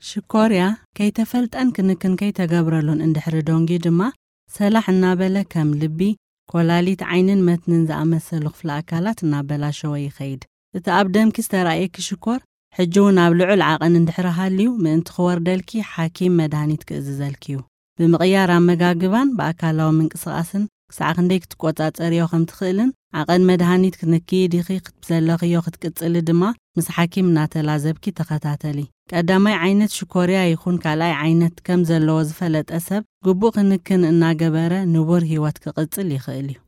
ሽኮርያ ከይተፈልጠን ክንክን ከይተገብረሉን እንድሕሪ ደንጉዩ ድማ፣ ሰላሕ እናበለ ከም ልቢ፣ ኮላሊት፣ ዓይንን መትንን ዝኣመሰሉ ክፍለ ኣካላት እናበላሸወ ይኸይድ። እቲ ኣብ ደምኪ ዝተራእየኪ ሽኮር ሕጂ እውን ኣብ ልዑል ዓቐን እንድሕሪ ሃልዩ፣ ምእንቲ ክወርደልኪ ሓኪም መድሃኒት ክእዝዘልኪ እዩ። ብምቕያር ኣመጋግባን ብኣካላዊ ምንቅስቓስን ክሳዕ ክንደይ ክትቆጻጸርዮ ከም ትኽእልን፣ ዓቐን መድሃኒት ክትንክዪ ዲኺ ክትብዘለኽዮ ክትቅጽሊ ድማ ምስ ሓኪም እናተላዘብኪ ተኸታተሊ። ቀዳማይ ዓይነት ሽኮርያ ይኹን ካልኣይ ዓይነት ከም ዘለዎ ዝፈለጠ ሰብ፣ ግቡእ ክንክን እናገበረ ንቡር ህይወት ክቕጽል ይኽእል እዩ።